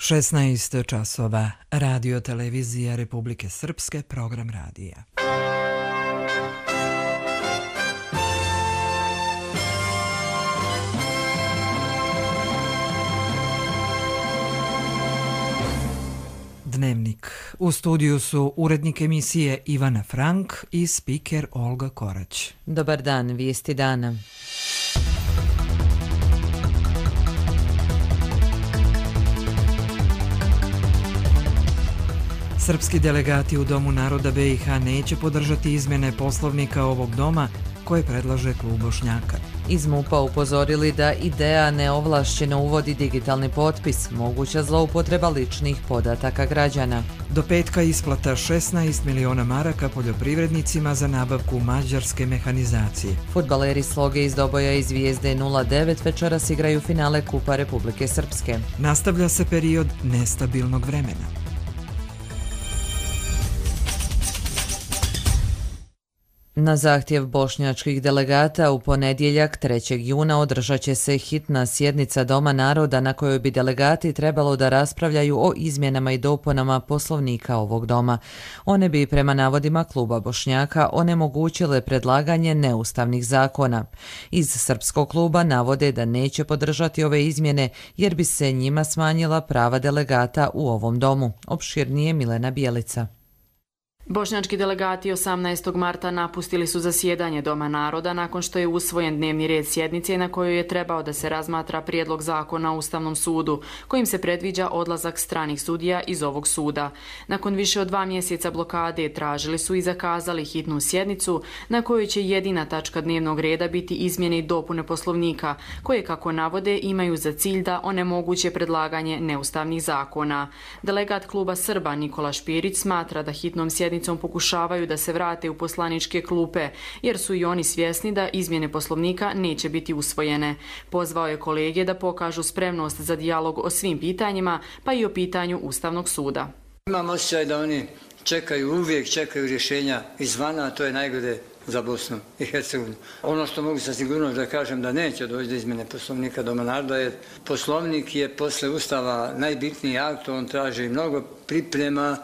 16 časova. Radio televizija Republike Srpske, program radija. Dnevnik. U studiju su urednik emisije Ivana Frank i spiker Olga Korać. Dobar dan, vijesti dana. Srpski delegati u Domu naroda BiH neće podržati izmjene poslovnika ovog doma koje predlaže klub Bošnjaka. Iz MUP-a upozorili da ideja neovlašćeno uvodi digitalni potpis, moguća zloupotreba ličnih podataka građana. Do petka isplata 16 miliona maraka poljoprivrednicima za nabavku mađarske mehanizacije. Fudbaleri Sloge iz Doboja i Zvijezde 09 večeras igraju finale Kupa Republike Srpske. Nastavlja se period nestabilnog vremena. Na zahtjev bošnjačkih delegata u ponedjeljak 3. juna održat će se hitna sjednica Doma naroda na kojoj bi delegati trebalo da raspravljaju o izmjenama i dopunama poslovnika ovog doma. One bi prema navodima kluba Bošnjaka onemogućile predlaganje neustavnih zakona. Iz srpskog kluba navode da neće podržati ove izmjene jer bi se njima smanjila prava delegata u ovom domu. Opširnije Milena Bijelica. Bošnjački delegati 18. marta napustili su zasjedanje Doma naroda nakon što je usvojen dnevni red sjednice na kojoj je trebao da se razmatra prijedlog zakona o Ustavnom sudu, kojim se predviđa odlazak stranih sudija iz ovog suda. Nakon više od 2 mjeseca blokade tražili su i zakazali hitnu sjednicu na kojoj će jedina tačka dnevnog reda biti izmjene i dopune poslovnika, koje, kako navode, imaju za cilj da onemoguće predlaganje neustavnih zakona. Delegat kluba Srba Nikola Špirić smatra da hitnom sjednicom pokušavaju da se vrate u poslaničke klupe, jer su i oni svjesni da izmjene poslovnika neće biti usvojene. Pozvao je kolege da pokažu spremnost za dijalog o svim pitanjima, pa i o pitanju Ustavnog suda. Imam osjećaj da oni uvijek čekaju rješenja izvana, a to je najgore za Bosnu i Hercegovinu. Ono što mogu sa sigurnošću da kažem da neće doći do izmjene poslovnika Doma naroda, jer poslovnik je posle Ustava najbitniji akt, on traži mnogo priprema,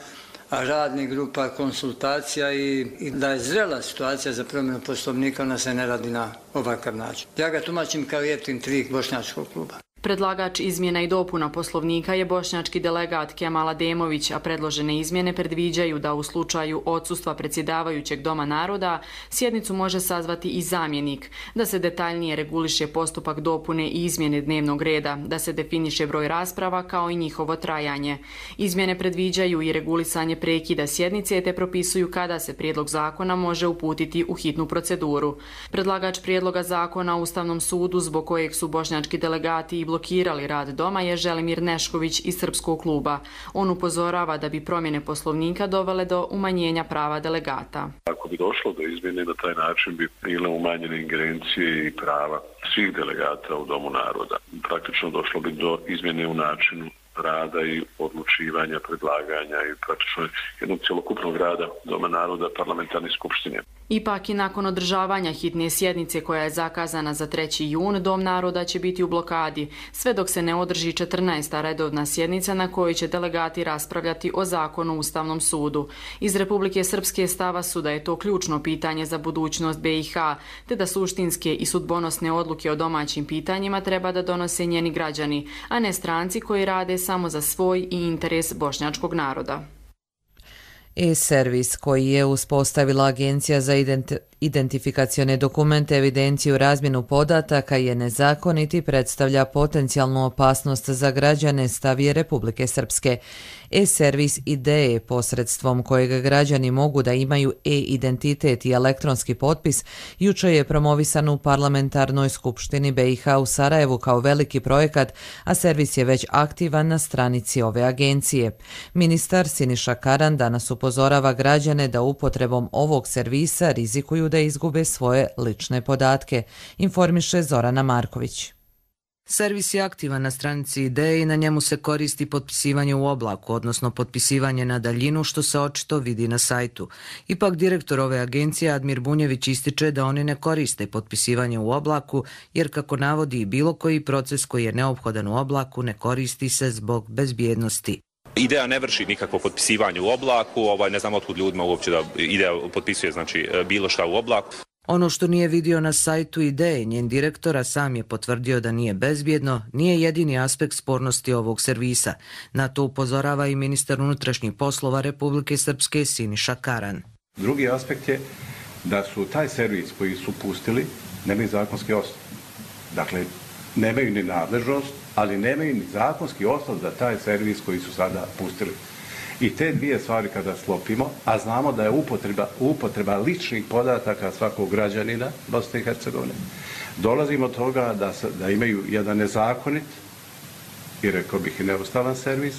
radnih grupa, konsultacija i da je zrela situacija za promjenu poslovnika, ona se ne radi na ovakav način. Ja ga tumačim kao jeftin trik bošnjačkog kluba. Predlagač izmjena i dopuna poslovnika je bošnjački delegat Kemal Ademović, a predložene izmjene predviđaju da u slučaju odsustva predsjedavajućeg Doma naroda sjednicu može sazvati i zamjenik, da se detaljnije reguliše postupak dopune i izmjene dnevnog reda, da se definiše broj rasprava kao i njihovo trajanje. Izmjene predviđaju i regulisanje prekida sjednice te propisuju kada se prijedlog zakona može uputiti u hitnu proceduru. Predlagač prijedloga zakona o Ustavnom sudu, zbog kojeg su bošnjački delegati i blokirali rad doma, je Želimir Nešković iz srpskog kluba. On upozorava da bi promjene poslovnika dovele do umanjenja prava delegata. Ako bi došlo do izmjene, na taj način bi bile umanjene ingerencije i prava svih delegata u Domu naroda. Praktično došlo bi do izmjene u načinu rada i odlučivanja, predlaganja i praktično jednog cjelokupnog rada Doma naroda parlamentarne skupštine. Ipak i nakon održavanja hitne sjednice koja je zakazana za 3. jun, Dom naroda će biti u blokadi, sve dok se ne održi 14. redovna sjednica na kojoj će delegati raspravljati o zakonu o Ustavnom sudu. Iz Republike Srpske stava su da je to ključno pitanje za budućnost BiH, te da suštinske i sudbonosne odluke o domaćim pitanjima treba da donose njeni građani, a ne stranci koji rade samo za svoj i interes bošnjačkog naroda. E-servis koji je uspostavila Agencija za identifikacione dokumente, evidenciju, razmjenu podataka je nezakonit i predstavlja potencijalnu opasnost za građane, stav je Republike Srpske. E-servis ideje posredstvom kojeg građani mogu da imaju e-identitet i elektronski potpis jučer je promovisan u Parlamentarnoj skupštini BiH u Sarajevu kao veliki projekat, a servis je već aktivan na stranici ove agencije. Ministar Siniša Karan danas upozorava građane da upotrebom ovog servisa rizikuju da izgube svoje lične podatke, informiše Zorana Marković. Servis je aktivan na stranici Ideje i na njemu se koristi potpisivanje u oblaku, odnosno potpisivanje na daljinu, što se očito vidi na sajtu. Ipak direktor ove agencije Admir Bunjević ističe da oni ne koriste potpisivanje u oblaku, jer kako navodi bilo koji proces koji je neophodan u oblaku ne koristi se zbog bezbjednosti. Ideja ne vrši nikakvo potpisivanje u oblaku, ne znam otkud ljudima uopće da Ideja potpisuje bilo šta u oblaku. Ono što nije vidio na sajtu Ideje, njen direktora sam je potvrdio da nije bezbjedno, nije jedini aspekt spornosti ovog servisa. Na to upozorava i ministar unutrašnjih poslova Republike Srpske Siniša Karan. Drugi aspekt je da su taj servis koji su pustili nemaju zakonski osnov. Dakle, nemaju ni nadležnost, ali nemaju ni zakonski osnov za taj servis koji su sada pustili. I te dvije stvari kada sklopimo, a znamo da je upotreba ličnih podataka svakog građanina Bosne i Hercegovine, dolazimo od toga da imaju jedan nezakonit i rekao bih i neustavan servis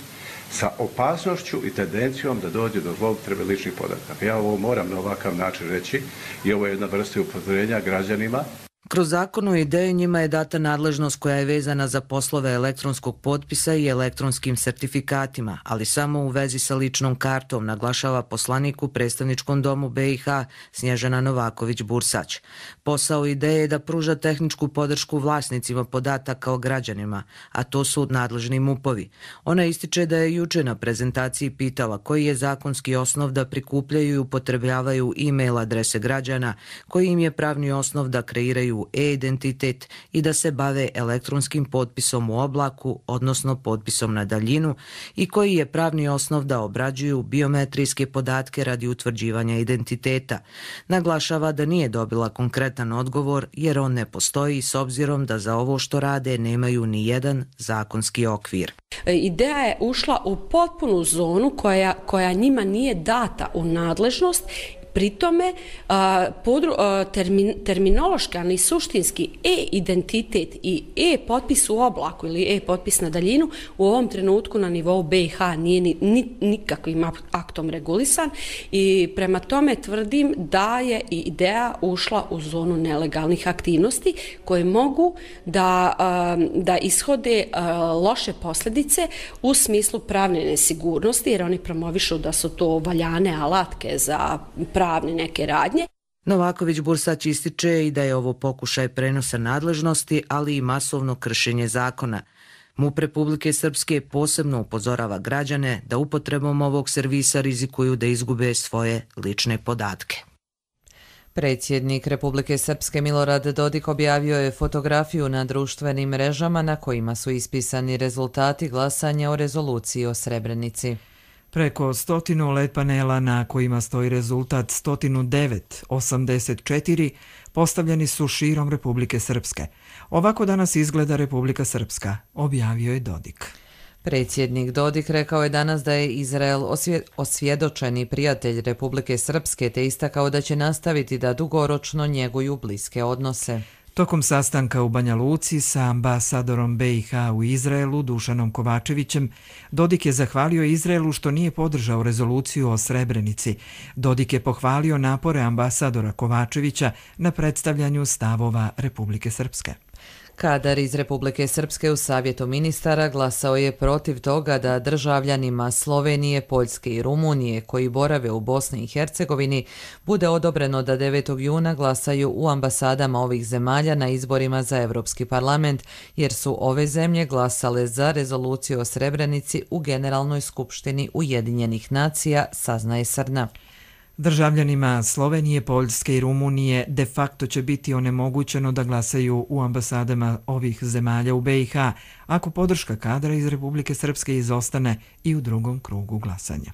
sa opasnošću i tendencijom da dođe do zloupotrebe ličnih podataka. Ja ovo moram na ovakav način reći i ovo je jedna vrsta upozorenja građanima. Kroz zakon o Ideji njima je data nadležnost koja je vezana za poslove elektronskog potpisa i elektronskim sertifikatima, ali samo u vezi sa ličnom kartom, naglašava poslanik u predstavničkom domu BiH Snježana Novaković-Bursać. Posao Ideje je da pruža tehničku podršku vlasnicima podataka o građanima, a to su nadležni MUP-ovi. Ona ističe da je juče na prezentaciji pitala koji je zakonski osnov da prikupljaju i upotrebljavaju e-mail adrese građana, koji im je pravni osnov da kreiraju e-identitet i da se bave elektronskim potpisom u oblaku, odnosno potpisom na daljinu, i koji je pravni osnov da obrađuju biometrijske podatke radi utvrđivanja identiteta. Naglašava da nije dobila konkretan odgovor jer on ne postoji s obzirom da za ovo što rade nemaju ni jedan zakonski okvir. Ideja je ušla u potpunu zonu koja njima nije data u nadležnost. Pri tome terminološki, ali i suštinski e-identitet i e-potpis u oblaku ili e-potpis na daljinu u ovom trenutku na nivou BiH nije nikakvim aktom regulisan i prema tome tvrdim da je i Ideja ušla u zonu nelegalnih aktivnosti koje mogu da ishode loše posljedice u smislu pravne nesigurnosti, jer oni promovišu da su to valjane alatke za pravne neke radnje. Novaković-Bursać ističe i da je ovo pokušaj prenosa nadležnosti, ali i masovno kršenje zakona. MUP Republike Srpske posebno upozorava građane da upotrebom ovog servisa rizikuju da izgube svoje lične podatke. Predsjednik Republike Srpske Milorad Dodik objavio je fotografiju na društvenim mrežama na kojima su ispisani rezultati glasanja o rezoluciji o Srebrenici. Preko 100 LED panela na kojima stoji rezultat 109-84 postavljeni su širom Republike Srpske. Ovako danas izgleda Republika Srpska, objavio je Dodik. Predsjednik Dodik rekao je danas da je Izrael osvjedočeni prijatelj Republike Srpske te istakao da će nastaviti da dugoročno njeguju bliske odnose. Tokom sastanka u Banja Luci sa ambasadorom BiH u Izraelu Dušanom Kovačevićem, Dodik je zahvalio Izraelu što nije podržao rezoluciju o Srebrenici. Dodik je pohvalio napore ambasadora Kovačevića na predstavljanju stavova Republike Srpske. Kadar iz Republike Srpske u Savjetu ministara glasao je protiv toga da državljanima Slovenije, Poljske i Rumunije koji borave u Bosni i Hercegovini bude odobreno da 9. juna glasaju u ambasadama ovih zemalja na izborima za Evropski parlament, jer su ove zemlje glasale za rezoluciju o Srebrenici u Generalnoj skupštini Ujedinjenih nacija, saznaje Srna. Državljanima Slovenije, Poljske i Rumunije de facto će biti onemogućeno da glasaju u ambasadama ovih zemalja u BiH, ako podrška kadra iz Republike Srpske izostane i u drugom krugu glasanja.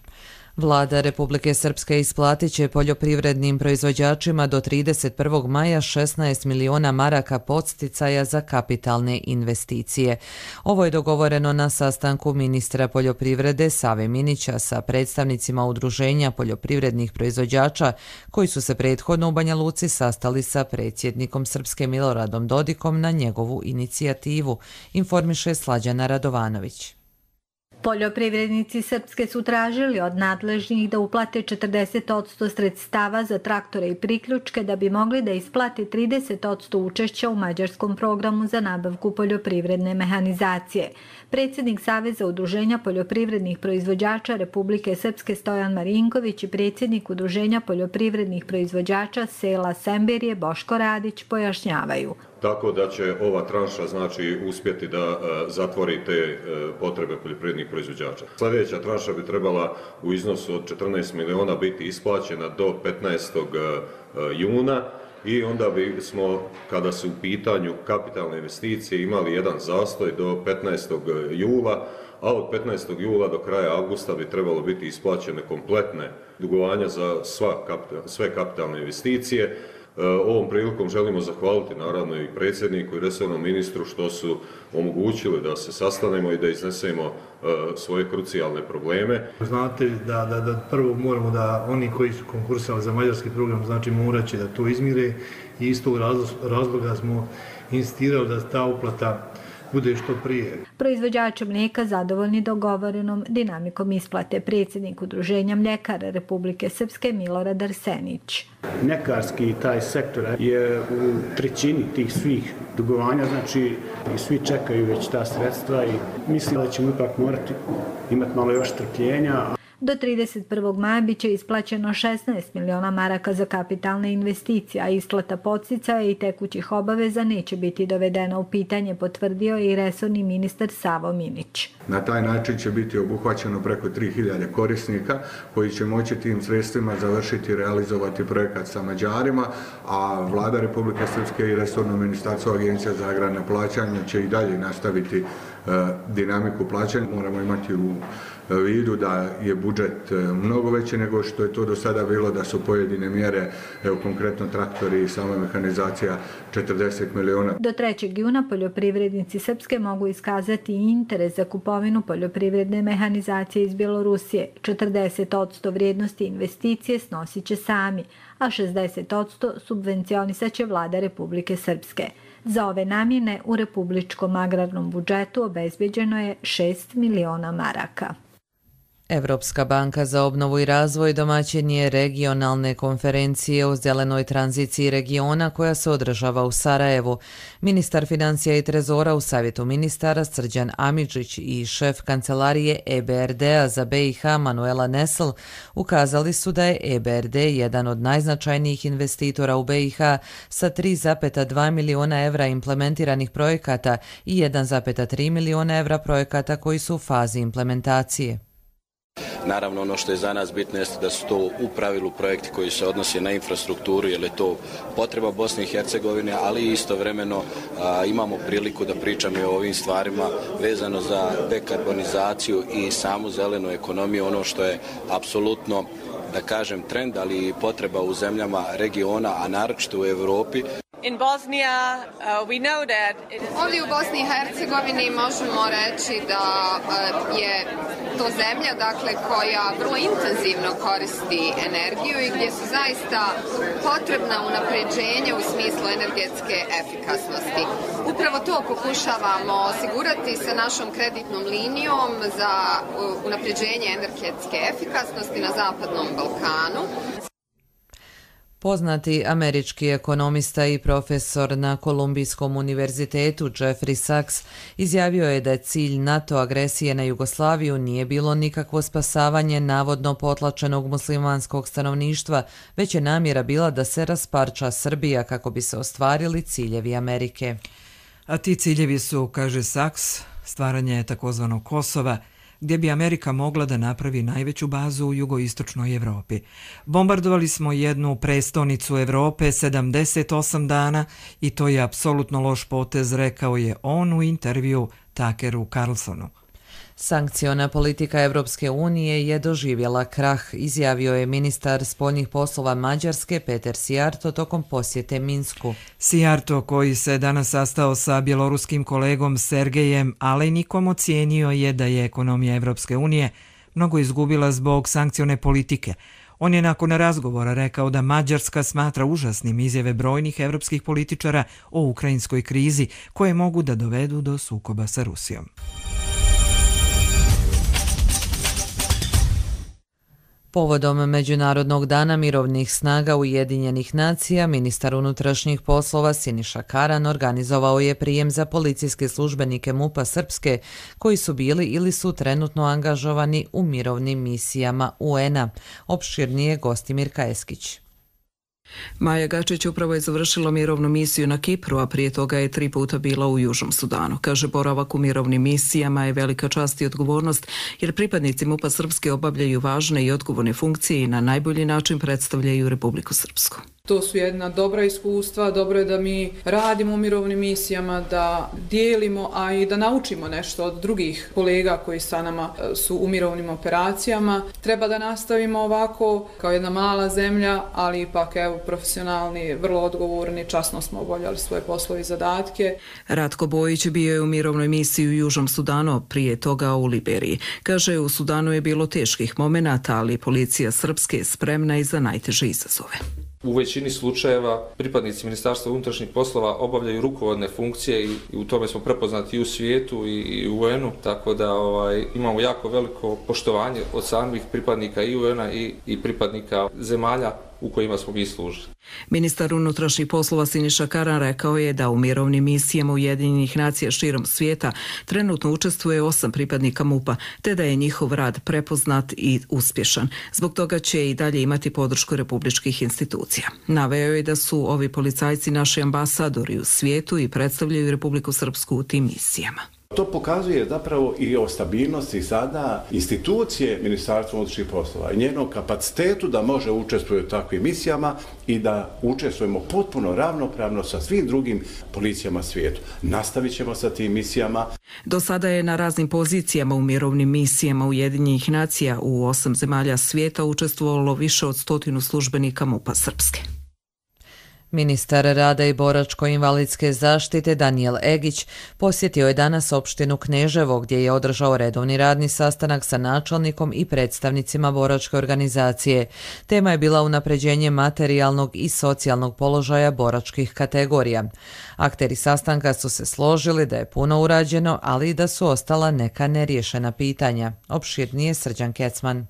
Vlada Republike Srpske isplatit će poljoprivrednim proizvođačima do 31. maja 16 miliona maraka podsticaja za kapitalne investicije. Ovo je dogovoreno na sastanku ministra poljoprivrede Save Minića sa predstavnicima Udruženja poljoprivrednih proizvođača koji su se prethodno u Banja Luci sastali sa predsjednikom Srpske Miloradom Dodikom na njegovu inicijativu, informiše Slađana Radovanović. Poljoprivrednici Srpske su tražili od nadležnih da uplate 40% sredstava za traktore i priključke da bi mogli da isplate 30% učešća u mađarskom programu za nabavku poljoprivredne mehanizacije. Predsjednik Saveza udruženja poljoprivrednih proizvođača Republike Srpske Stojan Marinković i predsjednik Udruženja poljoprivrednih proizvođača sela Semberije Boško Radić pojašnjavaju. Tako da će ova tranša znači uspjeti da zatvori te potrebe poljoprivrednih proizvođača. Sljedeća tranša bi trebala u iznosu od 14 miliona biti isplaćena do 15. juna i onda bi smo, kada su u pitanju kapitalne investicije, imali jedan zastoj do 15. jula, a od 15. jula do kraja avgusta bi trebalo biti isplaćene kompletne dugovanja za sve kapitalne investicije. Ovom prilikom želimo zahvaliti naravno i predsjedniku i resornom ministru što su omogućili da se sastanemo i da iznesemo svoje krucijalne probleme. Znate da prvo moramo da oni koji su konkursali za mađarski program znači morat će da to izmire i iz tog razloga smo insistirali da ta uplata bude što prije. Proizvođači mlijeka zadovoljni dogovorenom dinamikom isplate. Predsjednik Udruženja mljekara Republike Srpske Milorad Arsenić. Mljekarski taj sektor je u trećini tih svih dugovanja, znači i svi čekaju već ta sredstva i mislim da ćemo ipak morati imati malo još strpljenja. Do 31. maja biće isplaćeno 16 miliona maraka za kapitalne investicije, a isplata podsticaja i tekućih obaveza neće biti dovedena u pitanje, potvrdio je i resorni ministar Savo Minić. Na taj način će biti obuhvaćeno preko 3000 korisnika koji će moći tim sredstvima završiti i realizovati projekat sa Mađarima, a Vlada Republike Srpske i resorno ministarstvo Agencija za agrarna plaćanja će i dalje nastaviti dinamiku plaćanja. Moramo imati u vidu da je budžet mnogo veći nego što je to do sada bilo, da su pojedine mjere, evo konkretno traktori i sama mehanizacija 40 miliona. Do 3. juna poljoprivrednici Srpske mogu iskazati interes za kupovinu poljoprivredne mehanizacije iz Bjelorusije. 40% vrijednosti investicije snosit će sami, a 60% subvencionisat će Vlada Republike Srpske. Za ove namjene u republičkom agrarnom budžetu obezbeđeno je 6 miliona maraka. Evropska banka za obnovu i razvoj domaćin je regionalne konferencije o zelenoj tranziciji regiona koja se održava u Sarajevu. Ministar financija i trezora u Savjetu ministara Srđan Amidžić i šef kancelarije EBRD-a za BiH Manuela Nesl ukazali su da je EBRD jedan od najznačajnijih investitora u BiH sa 3,2 miliona evra implementiranih projekata i 1,3 miliona evra projekata koji su u fazi implementacije. Naravno, ono što je za nas bitno jeste da su to u pravilu projekti koji se odnose na infrastrukturu, jer je to potreba Bosne i Hercegovine, ali istovremeno imamo priliku da pričamo i o ovim stvarima vezano za dekarbonizaciju i samu zelenu ekonomiju, ono što je apsolutno, da kažem, trend, ali i potreba u zemljama regiona, a naročito u Europi. Ovdje u Bosni i Hercegovini možemo reći da je to zemlja koja vrlo intenzivno koristi energiju i gdje su zaista potrebna unapređenja u smislu energetske efikasnosti. Upravo to pokušavamo osigurati sa našom kreditnom linijom za unapređenje energetske efikasnosti na Zapadnom Balkanu. Poznati američki ekonomista i profesor na Kolumbijskom univerzitetu Jeffrey Sachs izjavio je da je cilj NATO agresije na Jugoslaviju nije bilo nikakvo spasavanje navodno potlačenog muslimanskog stanovništva, već je namjera bila da se rasparča Srbija kako bi se ostvarili ciljevi Amerike. A ti ciljevi su, kaže Sachs, stvaranje takozvanog Kosova, gdje bi Amerika mogla da napravi najveću bazu u jugoistočnoj Evropi. Bombardovali smo jednu prestonicu Evrope 78 dana i to je apsolutno loš potez, rekao je on u intervju Tuckeru Carlsonu. Sankciona politika Evropske unije je doživjela krah, izjavio je ministar spoljnih poslova Mađarske Peter Sijarto tokom posjete Minsku. Sijarto, koji se danas sastao sa bjeloruskim kolegom Sergejem Alejnikom, ocijenio je da je ekonomija Evropske unije mnogo izgubila zbog sankcione politike. On je nakon razgovora rekao da Mađarska smatra užasnim izjave brojnih evropskih političara o ukrajinskoj krizi koje mogu da dovedu do sukoba sa Rusijom. Povodom Međunarodnog dana mirovnih snaga Ujedinjenih nacija, ministar unutrašnjih poslova Siniša Karan organizovao je prijem za policijske službenike MUP-a Srpske koji su bili ili su trenutno angažovani u mirovnim misijama UN-a. Opširnije Gostimir Kajeskić. Maja Gačić upravo je završila mirovnu misiju na Kipru, a prije toga je 3 puta bila u Južnom Sudanu. Kaže, boravak u mirovnim misijama je velika čast i odgovornost, jer pripadnici MUP-a Srpske obavljaju važne i odgovorne funkcije i na najbolji način predstavljaju Republiku Srpsku. To su jedna dobra iskustva, dobro je da mi radimo u mirovnim misijama, da dijelimo, a i da naučimo nešto od drugih kolega koji sa nama su u mirovnim operacijama. Treba da nastavimo ovako, kao jedna mala zemlja, ali ipak profesionalni, vrlo odgovorni, časno smo obavljali svoje poslove i zadatke. Ratko Bojić bio je u mirovnoj misiji u Južnom Sudanu, prije toga u Liberiji. Kaže, u Sudanu je bilo teških momenata, ali policija Srpske je spremna i za najteže izazove. U većini slučajeva pripadnici Ministarstva unutrašnjih poslova obavljaju rukovodne funkcije i u tome smo prepoznati i u svijetu i u UN-u, tako da imamo jako veliko poštovanje od samih pripadnika i UN-a i pripadnika zemalja u kojima smo mi služili. Ministar unutrašnjih poslova Siniša Karan rekao je da u mirovnim misijama Ujedinjenih nacija širom svijeta trenutno učestvuje 8 pripadnika MUP-a, te da je njihov rad prepoznat i uspješan. Zbog toga će i dalje imati podršku republičkih institucija. Naveo je da su ovi policajci naši ambasadori u svijetu i predstavljaju Republiku Srpsku u tim misijama. To pokazuje zapravo i o stabilnosti sada institucije Ministarstva unutrašnjih poslova i njenog kapacitetu da može učestvovati u takvim misijama i da učestvujemo potpuno ravnopravno sa svim drugim policijama svijetu. Nastavit ćemo sa tim misijama. Do sada je na raznim pozicijama u mirovnim misijama Ujedinjenih nacija u 8 zemalja svijeta učestvovalo više od 100 službenika MUP-a Srpske. Ministar rada i boračko-invalidske zaštite Danijel Egić posjetio je danas opštinu Kneževo gdje je održao redovni radni sastanak sa načelnikom i predstavnicima boračke organizacije. Tema je bila unapređenje materijalnog i socijalnog položaja boračkih kategorija. Akteri sastanka su se složili da je puno urađeno, ali i da su ostala neka neriješena pitanja. Opširnije Srđan Kecman.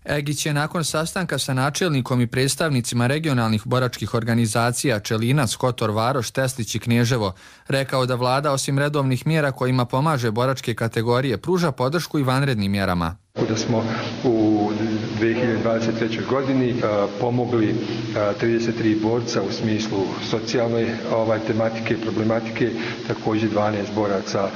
Egić je nakon sastanka sa načelnikom i predstavnicima regionalnih boračkih organizacija Čelinac, Kotor, Varoš, Teslić i Knježevo rekao da vlada osim redovnih mjera kojima pomaže boračke kategorije pruža podršku i vanrednim mjerama. Da smo u 2023. godini pomogli 33 borca u smislu socijalne tematike i problematike, također 12 boraca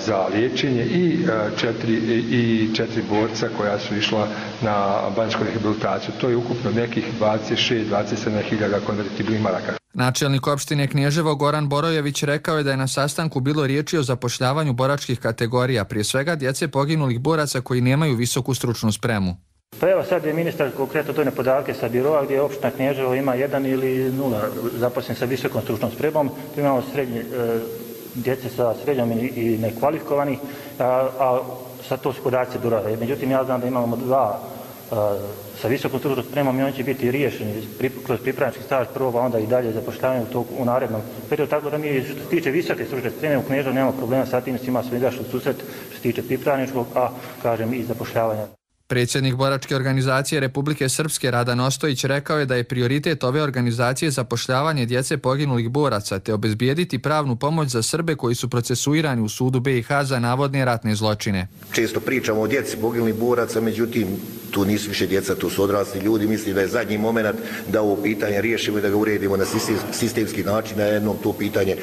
za liječenje i 4 borca koja su išla na banjsku rehabilitaciju. To je ukupno nekih 26-27 hiljada konvertibilnih maraka. Načelnik opštine Knježevo Goran Borojević rekao je da je na sastanku bilo riječi o zapošljavanju boračkih kategorija, prije svega djece poginulih boraca koji nemaju visoku stručnu spremu. Pa evo sad je ministar konkretno donio podatke sa biroa gdje opština Knježevo ima 1 ili 0 zaposlenih sa visokom stručnom spremom. Tu imamo djece sa srednjom i nekvalifikovanih, a sad to su podaci biroa. Međutim, ja znam da imamo 2 sa visokom stručnom spremom i oni će biti riješeni kroz pripravnički staž prvo, a onda i dalje zapošljavanje u narednom periodu. Tako da mi što se tiče visoke stručne spreme u Kneževu nemamo problema sa tim, svima smo izašli u susret što se tiče pripravničkog, a kažem i zapošljavanja. Predsjednik boračke organizacije Republike Srpske Radan Ostojić rekao je da je prioritet ove organizacije zapošljavanje djece poginulih boraca te obezbijediti pravnu pomoć za Srbe koji su procesuirani u sudu BiH za navodne ratne zločine. Često pričamo o djeci poginulih boraca, međutim tu nisu više djeca, tu su odrasli ljudi. Mislim da je zadnji moment da ovo pitanje riješimo i da ga uredimo na sistemski način, da jednom to pitanje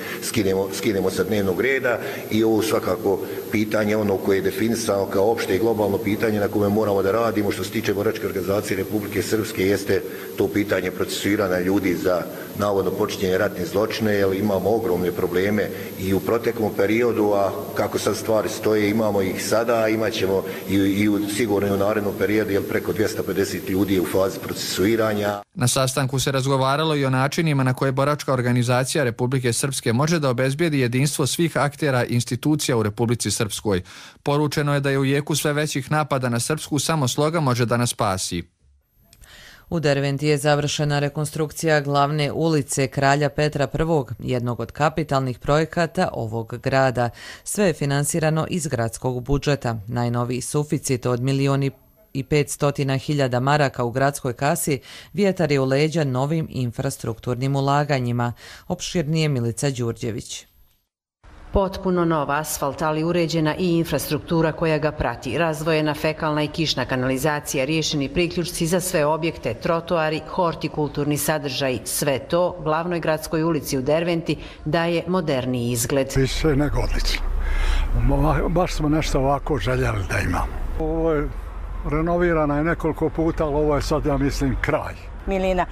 skinemo sa dnevnog reda i ovo svakako pitanje ono koje je definisano kao opšte i globalno pitanje na kome moramo da radimo što se tiče boračke organizacije Republike Srpske jeste to pitanje procesuiranja ljudi za navodno počinjenje ratne zločine, jer imamo ogromne probleme i u proteklom periodu, a kako sad stvari stoje imamo ih sada, imat ćemo i sigurno i u narednom periodu, jer preko 250 ljudi je u fazi procesuiranja. Na sastanku se razgovaralo i o načinima na koje boračka organizacija Republike Srpske može da obezbijedi jedinstvo svih aktera i institucija u Republici Srpskoj. Poručeno je da je u jeku sve većih napada na Srpsku samo sloga može da nas spasi. U Derventi je završena rekonstrukcija glavne ulice Kralja Petra I, jednog od kapitalnih projekata ovog grada. Sve je finansirano iz gradskog budžeta. Najnoviji suficit od 500.000 maraka u gradskoj kasi vjetar je u leđa novim infrastrukturnim ulaganjima. Opširnije Milica Đurđević. Potpuno nov asfalt, ali uređena i infrastruktura koja ga prati. Razdvojena fekalna i kišna kanalizacija, riješeni priključci za sve objekte, trotoari, hortikulturni sadržaj. Sve to glavnoj gradskoj ulici u Derventi daje moderniji izgled. Više nego odlično. Baš smo nešto ovako željeli da imamo. Ovo je renovirana je nekoliko puta, ali ovo je sad, ja mislim, kraj. Milina.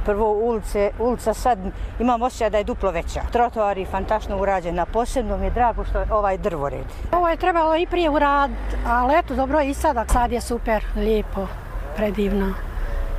Prvo ulica sad imam osjećaj da je duplo veća. Trotoari fantastično urađena. Posebno mi je drago što je ovaj drvored. Ovo je trebalo i prije uraditi, ali eto dobro i sada. Sad je super, lijepo, predivno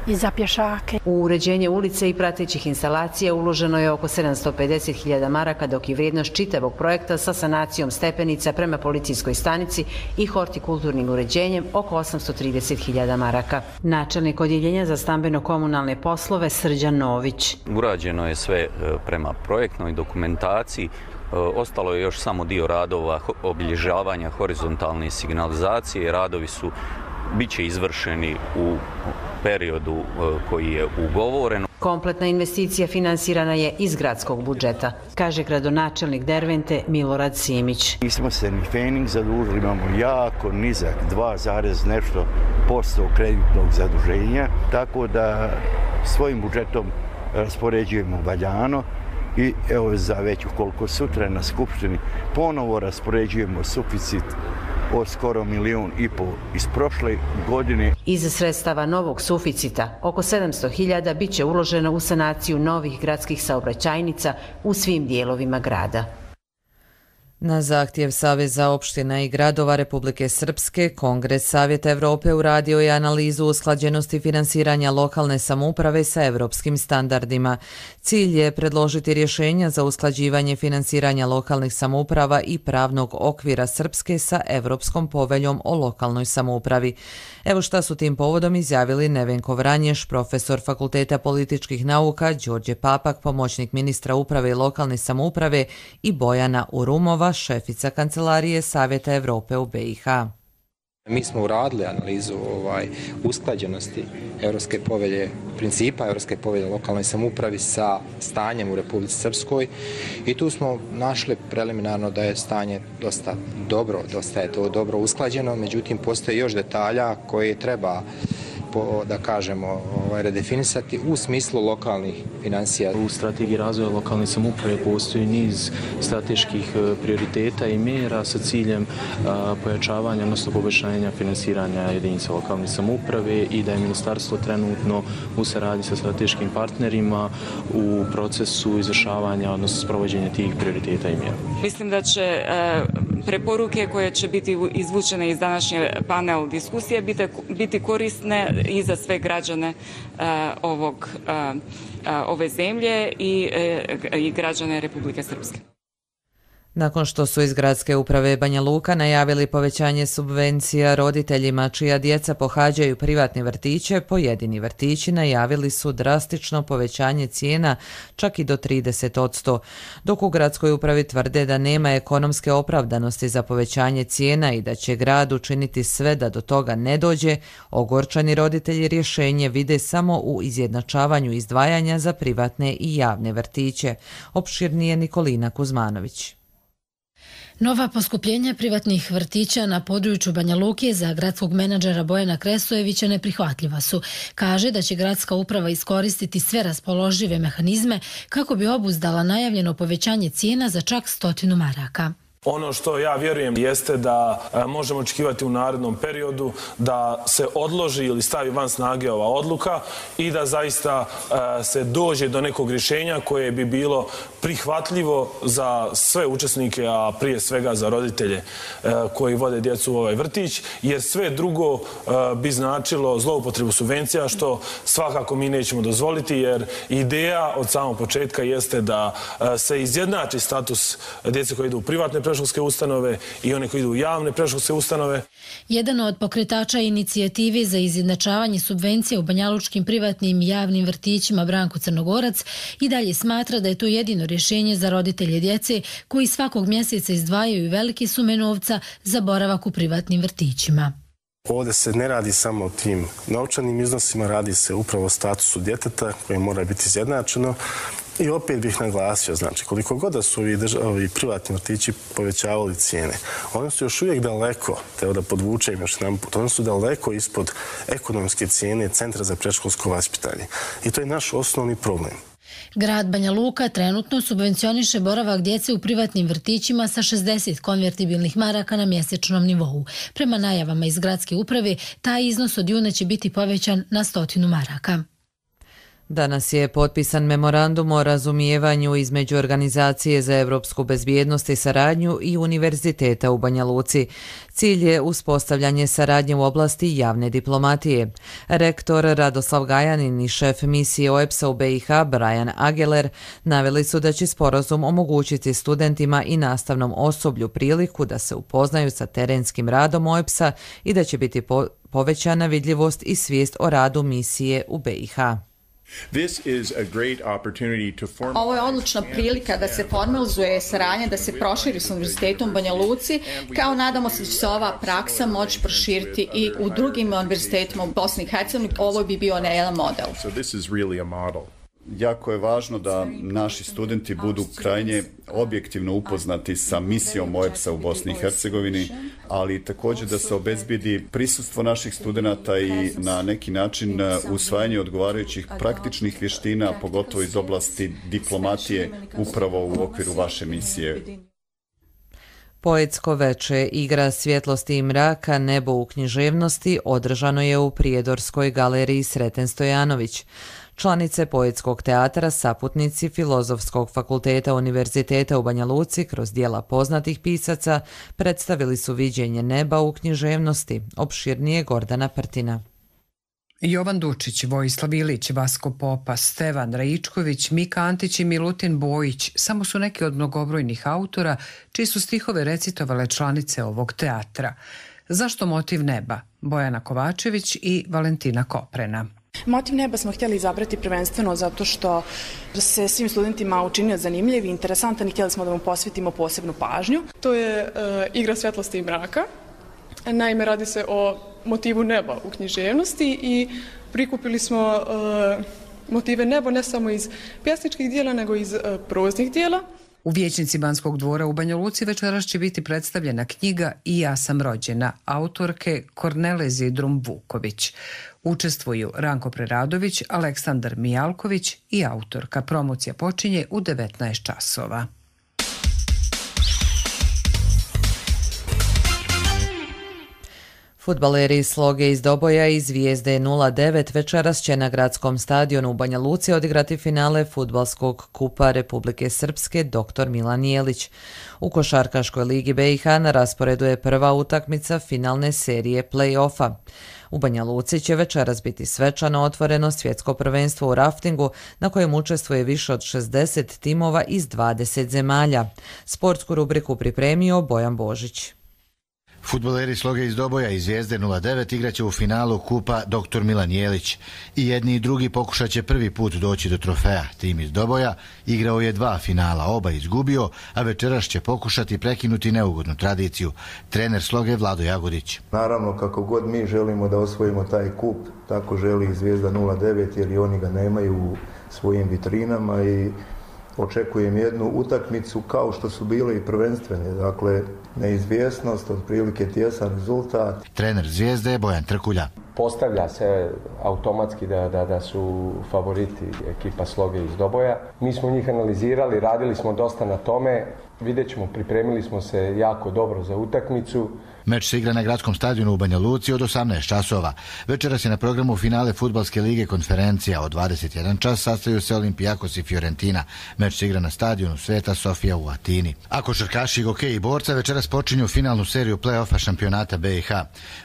i za pješake. U uređenje ulice i pratećih instalacija uloženo je oko 750.000 maraka, dok je vrijednost čitavog projekta sa sanacijom stepenica prema policijskoj stanici i hortikulturnim uređenjem oko 830.000 maraka. Načelnik odjeljenja za stambeno-komunalne poslove Srđan Nović. Urađeno je sve prema projektnoj dokumentaciji. Ostalo je još samo dio radova obilježavanja horizontalne signalizacije. Radovi biće izvršeni u periodu koji je ugovoren. Kompletna investicija finansirana je iz gradskog budžeta, kaže gradonačelnik Dervente Milorad Simić. Nismo se ni fening zadužili, imamo jako nizak 2,nešto% kreditnog zaduženja, tako da svojim budžetom raspoređujemo valjano i evo za već ukoliko sutra na Skupštini ponovo raspoređujemo suficit od skoro 1,5 milijuna iz prošle godine. Iz sredstava novog suficita oko 700.000 bit će uloženo u sanaciju novih gradskih saobraćajnica u svim dijelovima grada. Na zahtjev Saveza opština i gradova Republike Srpske, Kongres Savjeta Evrope uradio je analizu usklađenosti finansiranja lokalne samouprave sa evropskim standardima. Cilj je predložiti rješenja za usklađivanje finansiranja lokalnih samouprava i pravnog okvira Srpske sa Evropskom poveljom o lokalnoj samoupravi. Evo šta su tim povodom izjavili Nevenko Vranješ, profesor Fakulteta političkih nauka, Đorđe Papak, pomoćnik ministra uprave i lokalne samouprave i Bojana Urumova, šefica Kancelarije Savjeta Evrope u BiH. Mi smo uradili analizu usklađenosti Evropske povelje, principa Evropske povelje o lokalnoj samoupravi sa stanjem u Republici Srpskoj i tu smo našli preliminarno da je stanje dosta dobro, dosta je to dobro usklađeno, međutim postoje još detalja koje treba da kažemo redefinisati u smislu lokalnih financija. U strategiji razvoja lokalne samouprave postoji niz strateških prioriteta i mjera sa ciljem pojačavanja, odnosno poboljšanja finansiranja jedinica lokalne samouprave i da je ministarstvo trenutno u saradnji sa strateškim partnerima u procesu izvršavanja, odnosno sprovođenja tih prioriteta i mjera. Mislim da će preporuke koje će biti izvučene iz današnje panel diskusije biti korisne i za sve građane ove zemlje i građane Republike Srpske. Nakon što su iz Gradske uprave Banja Luka najavili povećanje subvencija roditeljima čija djeca pohađaju privatne vrtiće, pojedini vrtići najavili su drastično povećanje cijena čak i do 30%, dok u Gradskoj upravi tvrde da nema ekonomske opravdanosti za povećanje cijena i da će grad učiniti sve da do toga ne dođe. Ogorčani roditelji rješenje vide samo u izjednačavanju izdvajanja za privatne i javne vrtiće. Opširnije Nikolina Kuzmanović. Nova poskupljenja privatnih vrtića na području Banja Luke za gradskog menadžera Bojana Kresojevića neprihvatljiva su. Kaže da će gradska uprava iskoristiti sve raspoložive mehanizme kako bi obuzdala najavljeno povećanje cijena za čak 100 maraka. Ono što ja vjerujem jeste da možemo očekivati u narednom periodu da se odloži ili stavi van snage ova odluka i da zaista se dođe do nekog rješenja koje bi bilo prihvatljivo za sve učesnike, a prije svega za roditelje koji vode djecu u ovaj vrtić, jer sve drugo bi značilo zloupotrebu subvencija, što svakako mi nećemo dozvoliti, jer ideja od samog početka jeste da se izjednači status djece koji idu u privatne predškolske ustanove i one koji idu u javne predškolske ustanove. Jedan od pokretača inicijative za izjednačavanje subvencija u banjalučkim privatnim i javnim vrtićima, Branko Crnogorac, i dalje smatra da je to jedino rješenje za roditelje djece koji svakog mjeseca izdvajaju velike sume novca za boravak u privatnim vrtićima. ovdje se ne radi samo o tim novčanim iznosima, radi se upravo o statusu djeteta koje mora biti izjednačeno. I opet bih naglasio, znači, koliko god da su ovi privatni vrtići povećavali cijene, oni su još uvijek daleko, treba da podvučem još jedan put, oni su daleko ispod ekonomske cijene Centra za predškolsko vaspitanje. I to je naš osnovni problem. Grad Banja Luka trenutno subvencioniše boravak djece u privatnim vrtićima sa 60 konvertibilnih maraka na mjesečnom nivou. Prema najavama iz gradske uprave, taj iznos od juna će biti povećan na 100 maraka. Danas je potpisan memorandum o razumijevanju između Organizacije za europsku bezbjednost i saradnju i Univerziteta u Banja Luci. Cilj je uspostavljanje saradnje u oblasti javne diplomatije. Rektor Radoslav Gajanin i šef misije OEBS-a u BiH Brian Ageler naveli su da će sporazum omogućiti studentima i nastavnom osoblju priliku da se upoznaju sa terenskim radom OEBS-a i da će biti povećana vidljivost i svijest o radu misije u BiH. Ovo je odlična prilika da se formalizuje saradnja, da se proširi s Univerzitetom u Banja Luci, kao nadamo se da će se ova praksa moći proširiti i u drugim univerzitetima u Bosni i Hercegovini. Ovo bi bio jedan model. Jako je važno da naši studenti budu krajnje objektivno upoznati sa misijom OEBS-a u Bosni i Hercegovini, ali također da se obezbijedi prisustvo naših studenata i na neki način usvajanje odgovarajućih praktičnih vještina, pogotovo iz oblasti diplomatije, upravo u okviru vaše misije. Poetsko veče Igra svjetlosti i mraka, nebo u književnosti održano je u Prijedorskoj galeriji Sreten Stojanović. Članice Poetskog teatra, saputnici Filozofskog fakulteta Univerziteta u Banja Luci kroz djela poznatih pisaca predstavili su viđenje neba u književnosti, opširnije Gordana Prtina. Jovan Dučić, Vojislav Ilić, Vasko Popa, Stevan Rajičković, Mika Antić i Milutin Bojić samo su neki od mnogobrojnih autora čiji su stihove recitovale članice ovog teatra. Zašto motiv neba? Bojana Kovačević i Valentina Koprena. Motiv neba smo htjeli izabrati prvenstveno zato što se svim studentima učinio zanimljiv i interesantan i htjeli smo da mu posvetimo posebnu pažnju. To je Igra svjetlosti i mraka. Naime, radi se o motivu neba u književnosti i prikupili smo motive neba ne samo iz pjesničkih dijela, nego iz proznih dijela. U vijećnici Banskog dvora u Banja Luci večeras će biti predstavljena knjiga I ja sam rođena, autorke Kornele Zidrum Vuković. Učestvuju Ranko Preradović, Aleksandar Mijalković i autorka. Promocija počinje u 19 časova. Fudbaleri Sloge iz Doboja i Zvijezde 09 večeras će na gradskom stadionu u Banja Luci odigrati finale fudbalskog kupa Republike Srpske Dr. Milan Jelić. U košarkaškoj ligi BiH na rasporedu je prva utakmica finalne serije play-offa. U Banja Luci će večeras biti svečano otvoreno svjetsko prvenstvo u raftingu na kojem učestvuje više od 60 timova iz 20 zemalja. Sportsku rubriku pripremio Bojan Božić. Fudbaleri Sloge iz Doboja i Zvijezde 09 igraće u finalu kupa Dr. Milan Jelić. I jedni i drugi pokušat će prvi put doći do trofeja. Tim iz Doboja igrao je 2 finala, oba izgubio, a večeras će pokušati prekinuti neugodnu tradiciju. Trener Sloge Vlado Jagodić. Naravno, kako god mi želimo da osvojimo taj kup, tako želi i Zvijezda 09 jer i oni ga nemaju u svojim vitrinama i očekujem jednu utakmicu kao što su bile i prvenstvene, dakle neizvjesnost, otprilike tjesan rezultat. Trener Zvijezde je Bojan Trkulja. Postavlja se automatski da su favoriti ekipa Sloge iz Doboja. Mi smo njih analizirali, radili smo dosta na tome, vidjet ćemo, pripremili smo se jako dobro za utakmicu. Meč se igra na gradskom stadionu u Banja Luci od 18 časova. Večeras je na programu finale Fudbalske lige Konferencija. Od 21 čas sastaju se Olimpijakos i Fiorentina. Meč se igra na stadionu Sveta Sofija u Atini. A košarkaši, hokej i borca večeras počinju finalnu seriju play-offa šampionata BiH.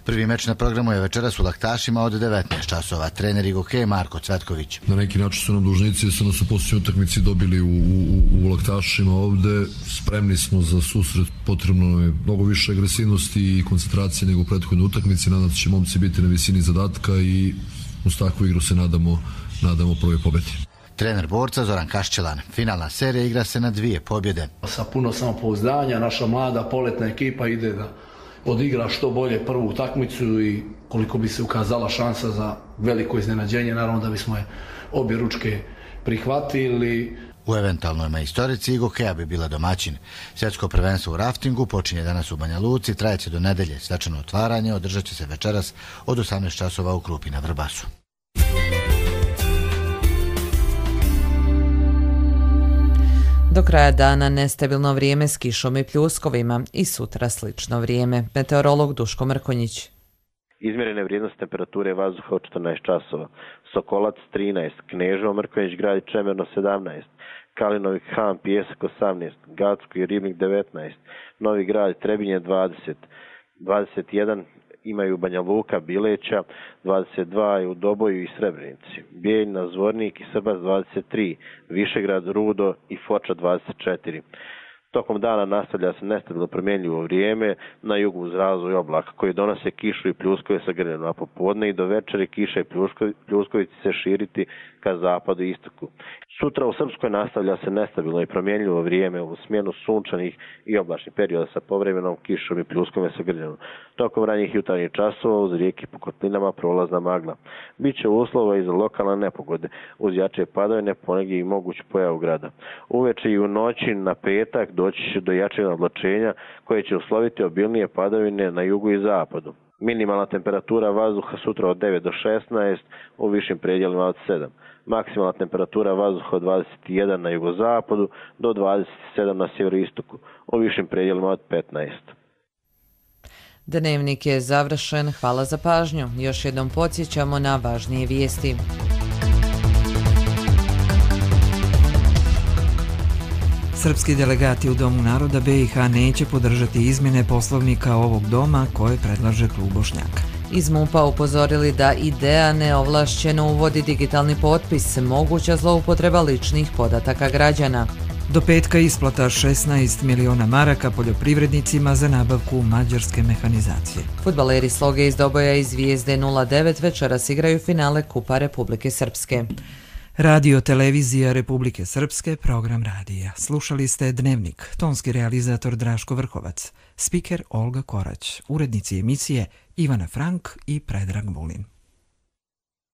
Prvi meč na programu je večeras u Laktašima od 19 časova. Trener hokej Marko Cvetković. Na neki način su nam dužnici, su nas u posljednjoj utakmici dobili u Laktašima ovde. Spremni smo za susret, potrebno je mnogo više agresivnosti i koncentracije nego u prethodnoj utakmici. Nadam se će momci biti na visini zadatka i uz takvu igru se nadamo prve pobjede. Trener borca Zoran Kašćelan. Finalna serija igra se na 2 pobjede. Sa puno samopouzdanja naša mlada poletna ekipa ide da odigra što bolje prvu utakmicu i koliko bi se ukazala šansa za veliko iznenađenje, naravno da bismo je obje ručke prihvatili. U eventualnoj majstorici i Gokeja bi bila domaćin. Svjetsko prvenstvo u raftingu počinje danas u Banja Luci, trajeće do nedelje. Svečano otvaranje održat će se večeras od 18 časova u Krupi na Vrbasu. Do kraja dana nestabilno vrijeme s kišom i pljuskovima i sutra slično vrijeme. Meteorolog Duško Mrkonjić. Izmjerene vrijednosti temperature vazduha od 14 časova. Sokolac 13, Kneževo, Mrkonjić Grad i Čemerno 17, Kalinovi Han, Pijesak 18, Gacko i Ribnik 19, Novi Grad i Trebinje 20, 21 imaju Banja Luka, Bileća, 22 je u Doboju i Srebrenici, Bijeljina, Zvornik i Srbac 23, Višegrad, Rudo i Foča 24. Tokom dana nastavlja se nestabilno promjenljivo vrijeme, na jugu uz razvoj oblaka koji donose kišu i pljuskove sa grljenom, a popodne i do večeri kiša i pljuskovi će se širiti ka zapadu i istoku. Sutra u Srpskoj nastavlja se nestabilno i promjenljivo vrijeme u smjenu sunčanih i oblačnih perioda sa povremenom kišom i pljuskovima sa grljenom. Tokom ranjih jutarnjih časova uz rijeke po kotlinama prolazna magla. Biće uslova i za lokalne nepogode, uz jače padavine, ponegdje i moguću pojavu grada. Uveče i u noći na petak doći će do jačeg oblačenja koje će usloviti obilnije padavine na jugu i zapadu. Minimalna temperatura vazduha sutra od 9 do 16, u višim predjelima od 7. Maksimalna temperatura vazduha od 21 na jugozapadu do 27 na sjeveroistoku, u višim predjelima od 15. Dnevnik je završen, hvala za pažnju. Još jednom podsjećamo na važnije vijesti. Srpski delegati u Domu naroda BiH neće podržati izmjene poslovnika ovog doma koje predlaže klub Bošnjaka. Iz MUP-a upozorili da ideja neovlašćeno uvodi digitalni potpis, moguća zloupotreba ličnih podataka građana. Do petka isplata 16 miliona maraka poljoprivrednicima za nabavku mađarske mehanizacije. Fudbaleri Sloge iz Doboja i Zvijezde 09 večeras igraju finale Kupa Republike Srpske. Radio Televizija Republike Srpske, program radija. Slušali ste Dnevnik, tonski realizator Draško Vrhovac, spiker Olga Korać, urednici emisije Ivana Frank i Predrag Vulin.